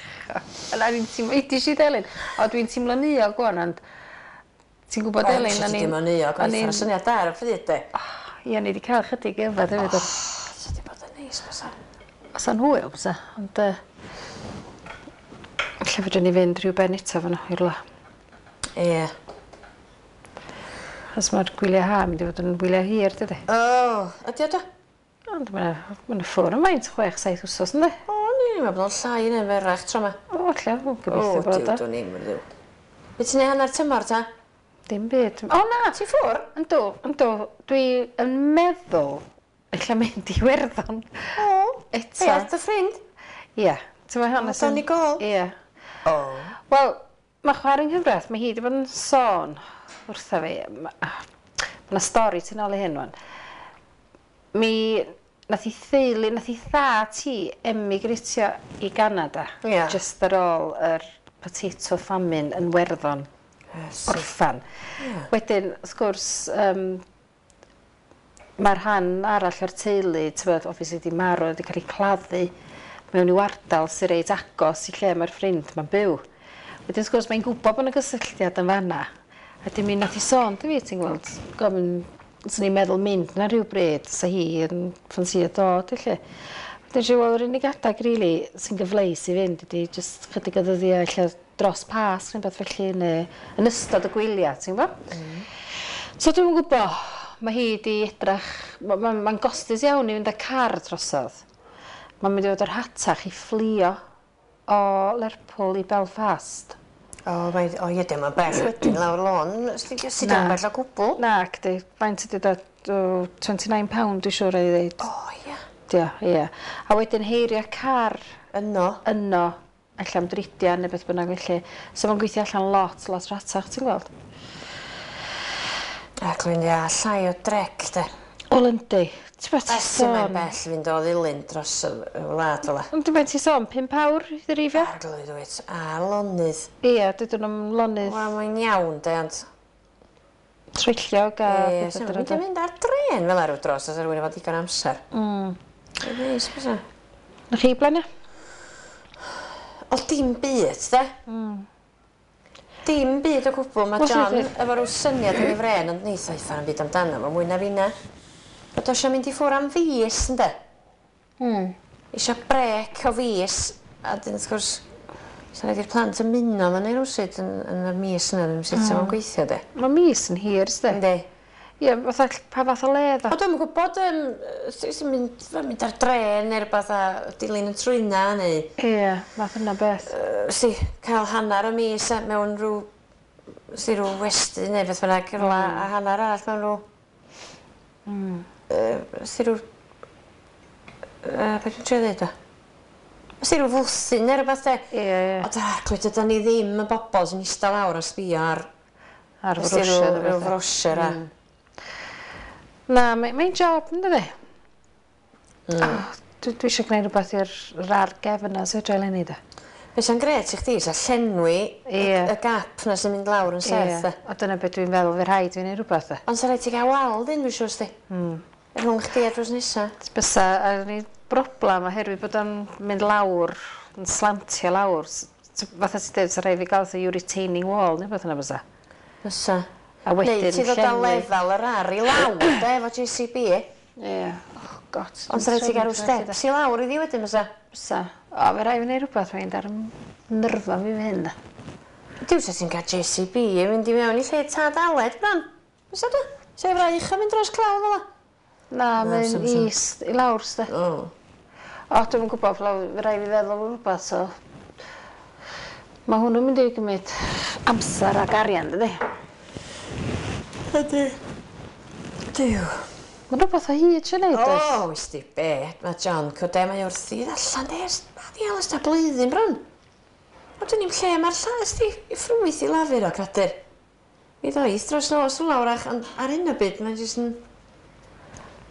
Yna ni'n teimlo, i si Elin, o, dwi'n teimlo'n euog wan, ond ti'n gwybod Elin, o'n i'n... Ti'n teimlo'n euog, o'n i'n syniad da ar y pryd de. Ie, ni wedi cael chydig yfed hefyd. O, sa di bod yn neis, bysa. Osa'n hwyl, bysa, ond... Lle fedrwn ni fynd rhyw ben eto fan i'r la. Ie. Achos mae'r gwyliau ha mynd i fod yn wyliau hir, dydy? O, ydy o do? Ond mae'n ma ffwr yn faint, 6-7 wsos, ynddi? O, ni'n meddwl bod o'n llai neu ferach tro yma. O, lle, dwi'n gobeithio bod o. O, dwi'n i'n mynd. Be ti'n neud hanner tymor ta? Dim byd. O na! Ti ffwr? Yndw, yndw. Dwi yn meddwl ella mynd i Iwerddon. O! Eto. Be, at dy ffrind? Ie. Ti'n meddwl hwnna sy'n... Donegal? Ie. O. Wel, mae chwarae yng nghyfraith, mae hi wedi bod yn sôn wrtha fi. Mae yna stori tu nôl i hyn wan. Mi nath i theulu, nath i tha ti emigratio i Ganada. Yeah. Just ar ôl yr potato famine yn Werddon. Yes. Orffan. Yeah. Wedyn, wrth gwrs, mae'r rhan arall o'r teulu, ti'n bod, obviously wedi marw, wedi cael ei claddu mewn i'w ardal sy'n reit agos i lle mae'r ffrind mae'n byw. Wedyn, wrth gwrs, mae'n gwybod bod yna gysylltiad yn fanna. A dim un nath i sôn, dy fi, ti'n gweld, gofyn, swn i'n meddwl mynd na rhyw bryd, sa hi yn ffansio dod, felly. Wedyn, siw, wel, yr unig adag, really, sy'n gyfleus i fynd ydy jyst chydig o ddyddiau ella dros Pasg neu beth felly, neu yn ystod y gwyliau, ti'n gwybod? Mm. So dwi'm yn gwybod, mae hi wedi edrach, mae'n gostus iawn i fynd â car drosodd. Mae'n mynd i fod yr hatach i fflio o Lerpwl i Belfast. O, mae, o ie, dim yn bell wedyn lawr lôn. Sydd yn bell o gwbl? Na, cdi, faint ydy dod, £29 dwi'n siŵr ei ddeud. O, ie. Dio, ie. A wedyn heirio car. Yno. Yno, ella am dridiau neu beth bynnag felly. So mae'n gweithio allan lot, lot ratach, ti'n gweld? Ac dwi'n ia, llai o drec, de. Wel, yndi. Ti'n beth ti'n sôn? Mae'n sôn? bell fynd o ddilyn dros y wlad fel Ond ti'n beth ti'n sôn, 5 awr i ddreifio? Arglwydd wyt, a lonydd. Ie, dydyn nhw'n lonydd. Wel, mae'n iawn, de, ond... Troellog a... Ie, sy'n mynd i mynd ar dren fel ar dros, os rhywun efo digon amser. Mm. Dwi'n neis, bysa. Na chi blaen, ia? O, dim byd, de. Mm. Dim byd o gwbl. Mae John efo rhyw syniad yn ei fren, ond neith o'i ffa'n byd amdano fo, mwy na finna. Bod o eisiau mynd i ffwrdd am fis, ynde? Mm. Isio brec o fis, a dyn wrth gwrs, sa'n rhaid i'r plant ymuno fan hyn rywsut yn, yn y mis yna, ddim sut mm. gweithio, de. Mae mis yn hir, sdi? Yndi. Ie, fatha, pa fath o le, ddo? O, dwi'm yn gwybod, sy'n mynd, mynd ar dren neu rhywbeth a dilyn y trwyna, neu... Ie, math yna beth. Si, cael hanner y mis mewn rhyw, si, rhyw westy neu beth bynnag, rhywle, a hanner arall mewn rhyw... Mm. Si rhyw... Beth dwi'n trio ddeud o? Si rhyw fwthyn neu rhywbeth de. Ie, ie. O, darglwydd, ydyn ni ddim y bobl sy'n eistedd lawr a sbio ar... Ar frosio. Rhyw frosio, a... Na, mae'n job, yn dydi? Mm. Oh, dwi eisiau gwneud rhywbeth i'r rar gefn yna, sy'n dre eleni, de. Be sy'n gret i chdi, sa llenwi y gap na sy'n mynd lawr yn serth, de. O, dyna beth dwi'n feddwl, fe rhaid fi wneud rhywbeth, de. Ond sa rhaid ti gael wal dyn, dwi'n siŵr, sti. Mm. Rhwng chdi a drws nesa. Bysa, a ni broblem oherwydd bod o'n mynd lawr, yn slantio lawr. Fatha ti'n dweud, sa rhaid fi gael fatha retaining wall, neu beth yna bysa. Bysa. A wedyn Neu ti ddod â lefel yr ar i lawr, de, efo JCB. Ie. Oh, God. Ond sa rhaid ti gael rhyw steps i lawr iddi wedyn, bysa? Bysa. O, fe rhaid fi wneud rhywbeth, mae'n dar nyrfa fi fy hyn. Duw, sa ti'n cael JCB i fynd i mewn i lle tad Aled, bron. Bysa do? Sa i fraich yn mynd dros clawdd fel 'a? Na, mae'n is i lawr, sde. O. O, dwi'm yn gwybod, fe rhaid fi feddwl rhywbeth, so... Mae hwnnw'n mynd i gymryd amser ac arian, dydy? Ydy. Duw. Mae'n rhywbeth o hyd eisiau neud, oes? O, wys di be, mae John Cwde, mae wrthi allan de, ers, di ers ta blwyddyn bron. O, dyn ni'n lle mae'r lla, ysdi, i ffrwyth i lafur o cradur. Mi ddoith dros nos yn lawrach, ond ar hyn o byd mae'n jyst yn...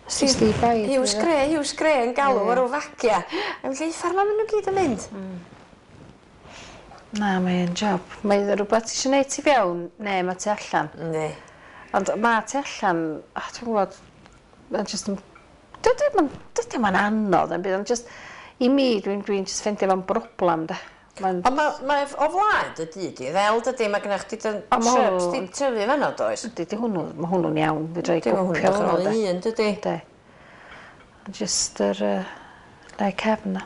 Jyst i baid. Hughes Grey, Hughes Grey yn galw ar ryw fagia. Yn lle uffar ma' nhw gyd yn mynd. Na, mae'n job. Mae'n rhywbeth ti eisiau gwneud tu fewn, neu mae tu allan. Yndi. Ond mae tu allan, oh, dwi'n gwybod, mae'n just yn... Dydy o'm yn anodd yn byd, ond just, i mi, dwi'n dwi just ffeindio fo'n broblem, de. Mae'n... Ond mae, mae o flaen dy dŷ di, ddel dydy, mae gennych chdi dy shrubs di tyfu fanno, does? Yndi, di hwnnw, mae hwnnw'n iawn, fedra i gwpio hwnnw, de. Un, dydy? De. Just yr le cefn na.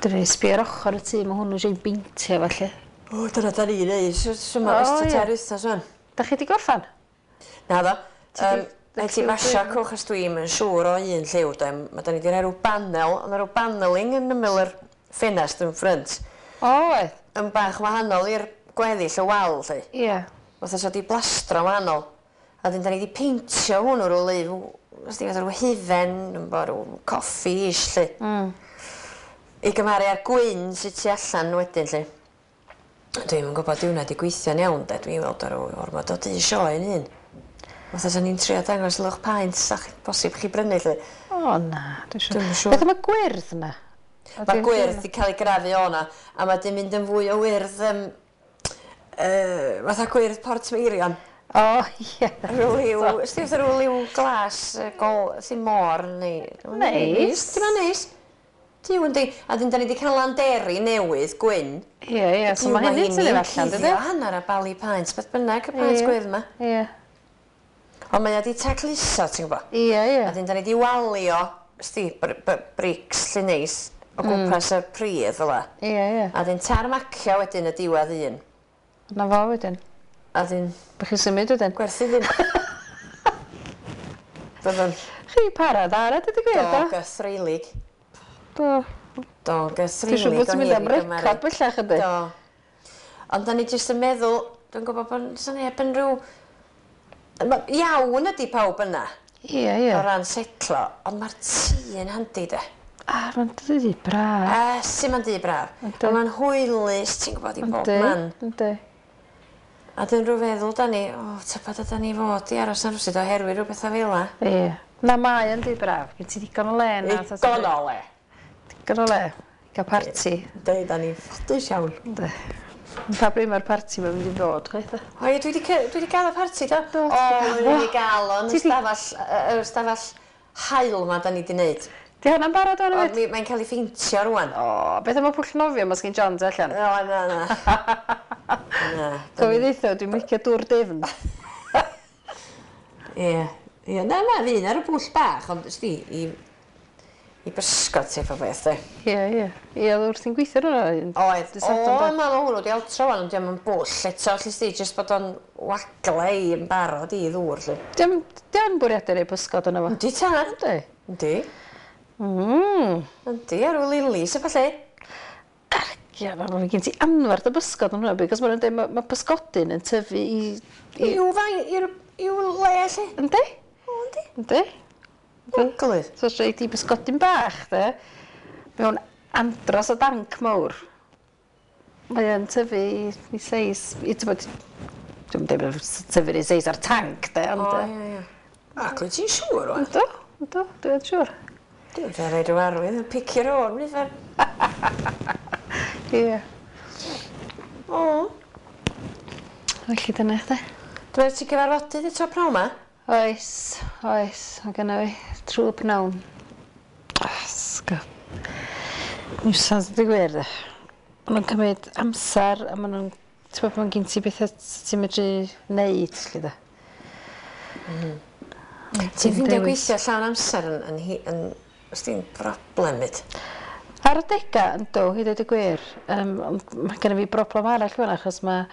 Dyn ni'n sbio ar ochr y tŷ, mae hwnnw eisiau beintio felly. O, dyna da ni'n neud, so ma, ystod tair wythnos wan. Da chi di gorffan? Na ddo. Rhaid ti basio cwch os dwi'm yn siŵr o un lliw, de. Mae da ni di rhoi rhyw banel, ond rhyw paneling yn ymyl yr ffenast yn ffrynt. O, oedd? Yn bach wahanol i'r gweddill y wal, lle. Ie. Fatha so di blastro wahanol. A dyn da ni di peintio hwnnw rhyw liw, os di fatha rhyw hufen, rhyw coffi-ish, lle. I gymharu â'r gwyn sydd tu allan wedyn, lle. Dwi'm yn gwybod di hwnna di gweithio'n iawn, de. Dwi'n weld ar ormod o dŷ sioe yn un. Fatha sa ni'n trio dangos lwch paent, sa bosib chi brynu, lle. O, na, dwi'n siŵr. Dwi'm yn siŵr. Beth am y gwyrdd na? Mae gwyrdd di cael ei grafu o na, a mae di mynd yn fwy o wyrdd, fatha gwyrdd Portmeirion. O, ie. Rhyw liw, ysdi fatha rhyw liw glas, gol, sy'n môr, neu... Neis. Di ma'n neis. Duw yndi. A dyn da ni di cael landeri newydd, gwyn. Ie, ie, so mae hynny'n tynnu allan, dydy? Cuddio hanner a bali paent, beth bynnag y paent gwyrdd yma. Ie. Ond mae o di tacluso, ti'n gwybod? Ie, ie. A dyn da ni di walio, ysdi, brics lle neis, o gwmpas y pridd fel 'a. Ie, ie. A dyn tarmacio wedyn y diwedd un. Na fo wedyn. A dyn... Bych chi'n symud wedyn? Gwerthu ddim. Byddwn. Chi para dda, dydy gwir, do? Do, gythreulig. Do. Do, gythreulig. Dwi'n siŵr bod ti'n mynd am record bellach ydy. Do. Ond da ni jyst yn meddwl, dwi'n gwybod bod sa neb yn rhyw... Iawn ydy pawb yna. Ie, ie. O ran setlo, ond mae'r tŷ yn handi, de. A, mae'n dŷ braf. A, sy'n mae'n dŷ braf. A mae'n hwylus, ti'n gwybod, i bob man. Yndi. A dyn rhyw feddwl, da ni, o, tybed yda ni fod i aros yn rhywsut oherwydd rhyw bethau fel 'a. Ie. Na, mae yn dŷ braf. Gen ti ddigon o le na. Ddigon o le. Digon o le. I gael parti. Yndi, da ni'n ffodus iawn. Yndi. Pa bryd mae'r parti mae'n mynd i ddod, chwaith? O ie, dwi wedi gael y parti, do? Do, O, dwi wedi gael o yn y stafell haul ma da ni wedi wneud. Di hwnna'n barod o'n hefyd? Mae'n cael ei pheintio rwan. O, beth am y pwll nofio ma sgyn John tu allan? O, na, na. Na. Cofio ddeutha, dwi'n licio dŵr difn. Ie, ie, na, na, fi un ar y pwll bach, ond ysdi, i bysgod teip o beth, de. Ie, ie. Ie, oedd wrthi'n gweithio ar hwnna. Oedd. O, ma hwnnw di altro wan, ond diolch yn bwll eto, lle sti, jyst bod o'n wagle i yn barod i ddŵr, lle. Diolch yn bwriadu rei bysgod yna fo. Yndi, tad. Yndi. Yndi. Yndi, ar ôl lilis a falle. Ie, mae gen ti anferth o bysgod yn hwnna, because maen nhw'n dweud mae pysgodyn yn tyfu i... I'w fain, i'w le, lle. Yndi? O, yndi. Yndi. Lyfli. So os rhaid i bysgodyn bach, de, mewn andros o danc mawr, mae o'n tyfu i seis, i tybod, dwi'n dweud bod tyfu i seis ar tanc, de, ond... O, ie, ie. Ac wyt ti'n siŵr, wan? Yndw, yndw, dwi'n siŵr. Dwi'n rhaid rhyw arwydd yn picio'r o'r nifer. Ie. O. Felly dyna chdi. Dwi'n meddwl ti gyfarfodydd eto pnawn ma? Oes, oes, mae gynna fi trwy pnawn. Sgw. Niwsans ydi gwir, de. Maen nhw'n cymryd amser a maen nhw'n... Ti'n gwybod, ma'n gen ti bethau ti'n medru neud, lle de. Ti'n ffeindio gweithio llawn amser yn os di'n broblem fyd? Ar adega, yndw, i ddweud y gwir. Ond mae genna fi broblem arall fan achos mae...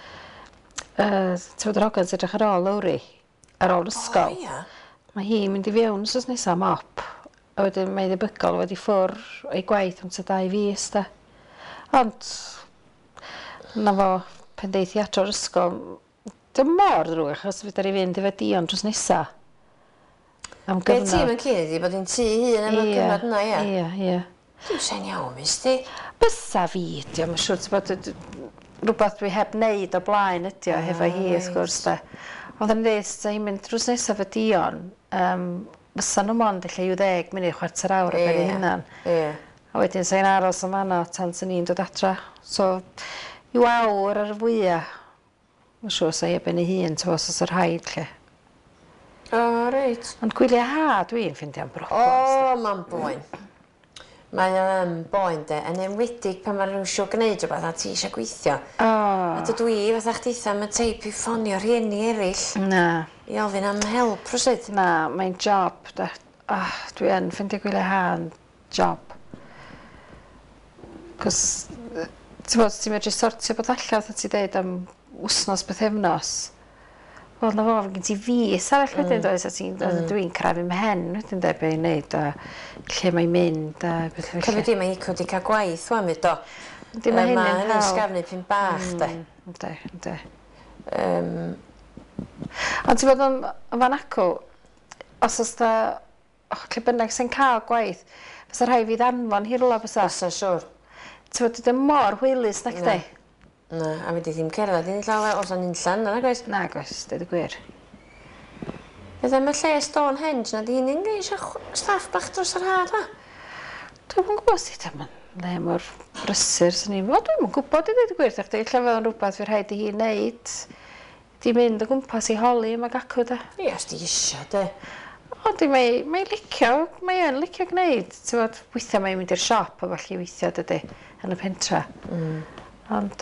Ti'n gwybod yr hogan sy'n edrych ar ôl Lowri, ar ôl ysgol. O, ia. Mae hi'n mynd i fewn wsos nesaf am op. A wedyn mae'n debygol wedi ffwr o'i gwaith am tua 2 fis, da. Ond, na fo, pen deith i adro'r ysgol, dim mor ddrwg achos fedra i fynd efo Dion dros nesa. Am gyfnod. Be ti'n mynd cyn ydi bod hi'n tŷ hun am y cyfnod yna, ia? Ie, ie. Dwi'n sa'n iawn, mis di. Bysa fi, diolch, mae'n siŵr, ti'n bod, rhywbeth dwi heb wneud o blaen ydi o, hefo hi, wrth gwrs, da. Ond yn dweud, sa hi'n mynd drws nesaf efo Dion, fysa nhw mond ella i'w 10 munud, chwarter awr ar ben ei hunan. Ie. A wedyn sa hi'n aros yn fanno tan sy'n ni'n dod adra. So, i'w awr ar y fwyaf, mae'n siŵr sa hi ar ben ei hun, ti'n os oes rhaid, lle. O, reit. Ond gwyliau ha, dwi'n ffeindio'n broblem. O, mae'n boen. Mae o yn boen de, yn enwedig pan mae rhywun eisiau gwneud rhywbeth a ti eisiau gweithio. O. A dydw i, fatha chditha, am y teip i ffonio rhieni eraill. Na. I ofyn am help rhywsut. Na, mae'n job de. Oh, dwi yn ffeindio gwyliau ha yn job. Cos, ti'n bod, ti'n medru sortio bod allan, fatha ti deud am wsnos bythefnos. Wel, na fo, gen ti fis arall wedyn, does, a ti'n, dwi'n crafu mhen wedyn, de, be i'n neud, a lle mae'n mynd, a beth felly. Cofio di, mae Ico di cael gwaith wan fyd, do. Yndi, mae hynny'n Mae hynny'n sgafnu pyn bach, de. Yndi, yndi. Ond ti'n bod yn fan acw, os oes da, lle bynnag sy'n cael gwaith, fysa rhai fi ddanfon hi rwla bysa. Fysa, siwr. Ti'n bod, dwi'n mor hwylus, nac di? Na, a fedri ddim cerdded i llawer os o'n unllan, na oes? Na, oes, dweud y gwir. Beth am y lle Stonehenge, na di hynny'n gwneud eisiau staff bach dros yr ha, dwa? Dwi'm yn gwybod sut am le mor brysur sy'n ni'n... Wel, dwi'm yn gwybod i ddweud y gwir, chdi, lle fydd o'n rhywbeth fydd rhaid i hi wneud. Di mynd o gwmpas i holi yma gacw, de. Ie, os di isio, de. O, di, mae, mae licio, mae yn licio gwneud. Ti'n gwybod, weithiau mae'n mynd i'r siop a falle weithiau, dydy, yn y pentra. Ond,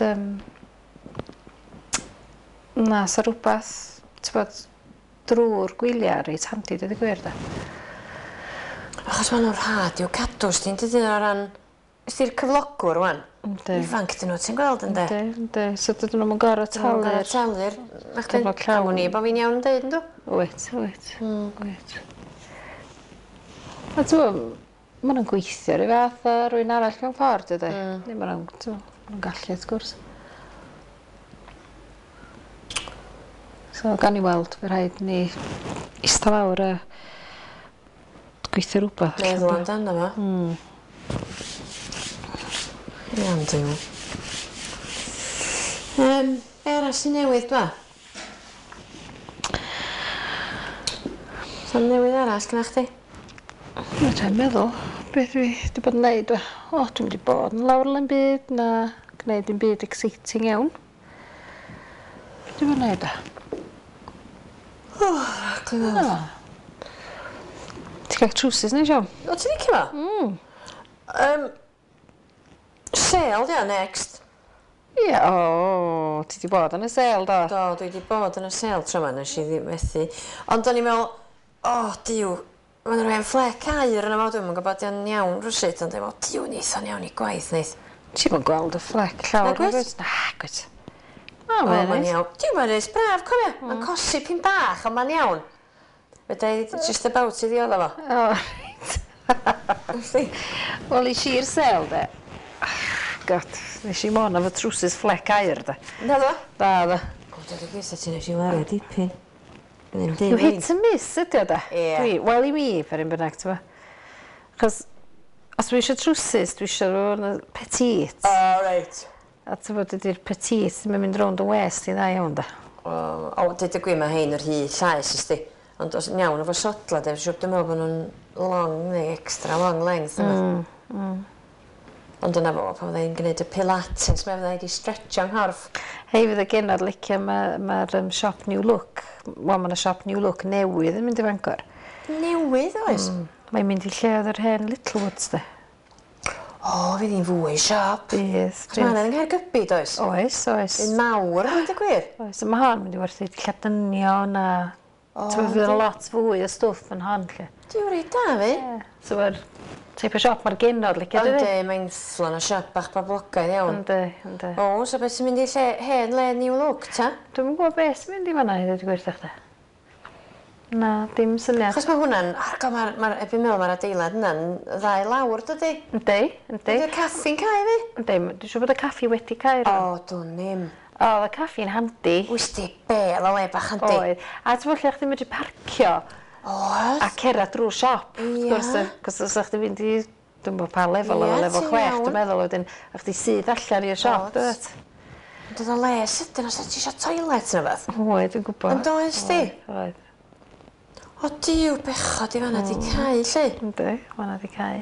na, sa rhywbeth, ti'n bod, drwy'r gwyliau reit handi, dweud y gwir, da. Achos maen nhw'n rhad i'w cadw, sdi'n dydyn o ran... Ysdi'r cyflogwr, wan? Yndi. Ifanc dyn nhw, ti'n gweld, ynddi? Yndi, yndi. So dydyn nhw'n gorfod talu'r... Gorfod talu'r... Cyflog llawn. Am wn i bod fi'n iawn yn deud, yndw? Wyt, wyt, wyt. A ti'n gwybod, maen nhw'n gweithio rhyw fath o rywun arall mewn ffordd, dydy? Neu maen nhw'n, ti'n gwybod, gallu, wrth gwrs. So, gan i weld, fe rhaid ni eistedd lawr a gweithio rhywbeth. Meddwl amdano fo. Iawn, Duw. Be arall sy'n newydd, dwa? Sa'n newydd arall gyda chdi? Mae'n rhaid meddwl beth dwi wedi bod yn neud, dwa. O, dwi'n wedi bod yn lawr yn byd, na gwneud dim byd exciting iawn. Beth dwi'n bod yn neud, dwa? O, clyfar. Ti'n cael trowsus neu, Siom? O, ti'n licio fo? Sale, dia, next. Ie, o, ti di bod yn y sale, do? Do, dwi wedi bod yn y sale tro yma, nes i ddim methu. Ond o'n i'n meddwl, o, diw, mae'n rhoi fflec aur yna fo, dwi'm yn gwybod di'n iawn rhywsut, ond dwi'n meddwl, diw, neith o'n iawn i gwaith, neith. Ti'm yn gweld y fflec llawr. Nag wyt? Nag wyt. O, mae'n iawn. Diw, mae'n reit braf, cofia. Mae'n cosi pyn bach, ond mae'n iawn. Fedra i just about i ddiodda fo. O, reit. Wel, i i'r sale, de. God, nes i mon efo trowsus fflec aur, de. Na ddo? Na ddo. O, dod y gwrs, ti nes i wario dipyn. Yw hit and miss ydi o, de? Ie. Wel, i mi, per un bynnag, ti'n bo. Achos, os dwi eisiau trowsus, dwi eisiau rhywun petite. O, reit. A ti'n bod, dydy'r petite ddim yn mynd rownd yn west i dda iawn, de. O, dweud y gwir, mae hein yr hy llaes, ysdi. Ond os yn iawn efo sodla, de, siwr dwi'n meddwl bod nhw'n long neu extra long length. Ond dyna fo, pan fydda i'n gwneud y pilates, mae fydda i wedi stretcho nghorff. Hei, fydd y genod licio, mae'r siop New Look, wel, mae yna siop New Look newydd yn mynd i Fangor. Newydd, oes? Mae'n mynd i lle oedd yr hen Littlewoods, de. O, fydd hi'n fwy siop. Bydd. Chos mae yna yng Nghaergybi, does? Oes, oes. Un mawr, dwi'n dweud gwir. Oes, mae hon mynd i werthu dillad dynion a... Ti'n fydd yna lot fwy o stwff yn hon, lle. Dwi'n reit da, fi. Ie. So mae'r teip o siop mae'r genod licio, dydi? Yndi, mae'n fflan o siop bach boblogaidd iawn. Yndi, yndi. O, so beth sy'n mynd i lle, hen le New Look, ta? Dwi'm yn gwybod beth sy'n mynd i fan'na i ddweud y gwir, chdi. Na, dim syniad. Achos mae hwnna'n, argo, mae'r, ma erbyn meddwl mae'r adeilad yna'n ddau lawr, dydy? Yndi, yndi. Ydy'r caffi'n cau fi? Yndi, dwi'n siŵr bod y caffi wedi cau rwan. O, dwn i'm. O, oedd y caffi'n handi. Wys di be, oedd o le bach handi. Oedd. A ti'n meddwl lle chdi'n medru parcio. Oedd. A cerdded drwy'r siop. Ia. Wrth gwrs, cos os chdi'n fynd i, dwi'n bod pa lefel, oedd lefel 6, dwi'n meddwl, wedyn, a chdi syth allan i'r siop, dwyt? Ond oedd o le sydyn os oedd ti eisiau toilet neu beth. Oedd, dwi'n gwybod. Yn doedd di? Oedd. O diw, bechod i fanna di cau, lle. Yndi, fanna di cau.